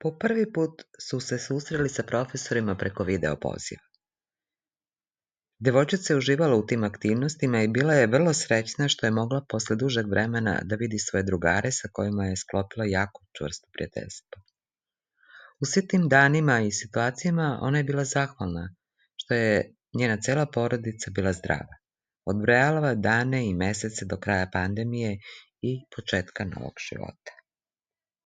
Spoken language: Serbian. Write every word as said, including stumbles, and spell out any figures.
Po prvi put su se susreli sa profesorima preko video poziva. Devojčica je uživala u tim aktivnostima i bila je vrlo srećna što je mogla posle dužeg vremena da vidi svoje drugare sa kojima je sklopila jako čvrsto prijateljstvo. U svim tim danima i situacijama ona je bila zahvalna što je njena cela porodica bila zdrava. Odbrojala dane i mesece do kraja pandemije i početka novog života.